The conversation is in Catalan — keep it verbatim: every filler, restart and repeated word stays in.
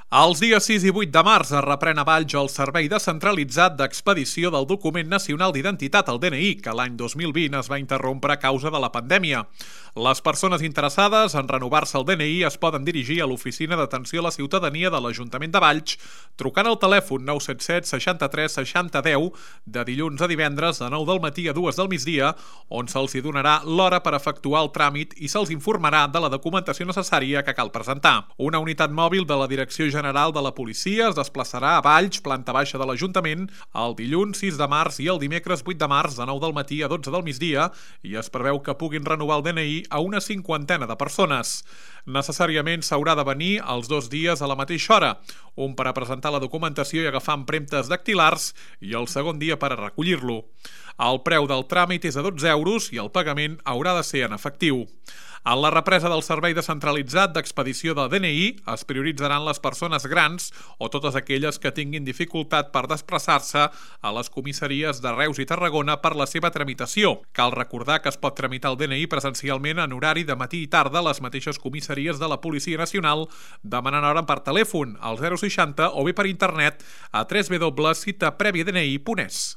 Els dies sis i vuit de març es reprèn a Valls el servei descentralitzat d'expedició del document nacional d'identitat, el D N I, que l'any dos mil vint es va interrompre a causa de la pandèmia. Les persones interessades en renovar-se el D N I es poden dirigir a l'Oficina d'Atenció a la Ciutadania de l'Ajuntament de Valls trucant al telèfon nou set set seixanta-tres seixanta deu de dilluns a divendres de nou del matí a dues del migdia, on se'ls hi donarà l'hora per efectuar el tràmit i se'ls informarà de la documentació necessària que cal presentar. Una unitat mòbil de la Direcció General de la Policia es desplaçarà a Valls, planta baixa de l'Ajuntament, el dilluns sis de març i el dimecres vuit de març de nou del matí a dotze del migdia i es preveu que puguin renovar el D N I a una cinquantena de persones. Necessàriament s'haurà de venir els dos dies a la mateixa hora, un per a presentar la documentació i agafar empremtes dactilars i el segon dia per a recollir-lo. El preu del tràmit és de dotze euros i el pagament haurà de ser en efectiu. En la represa del servei descentralitzat d'expedició del D N I es prioritzaran les persones grans o totes aquelles que tinguin dificultat per desplaçar-se a les comissaries de Reus i Tarragona per la seva tramitació. Cal recordar que es pot tramitar el D N I presencialment en horari de matí i tarda a les mateixes comissaries de la Policia Nacional, demanant hora per telèfon al zero seixanta o bé per internet a w w w punt cita prèvia d n i punt es.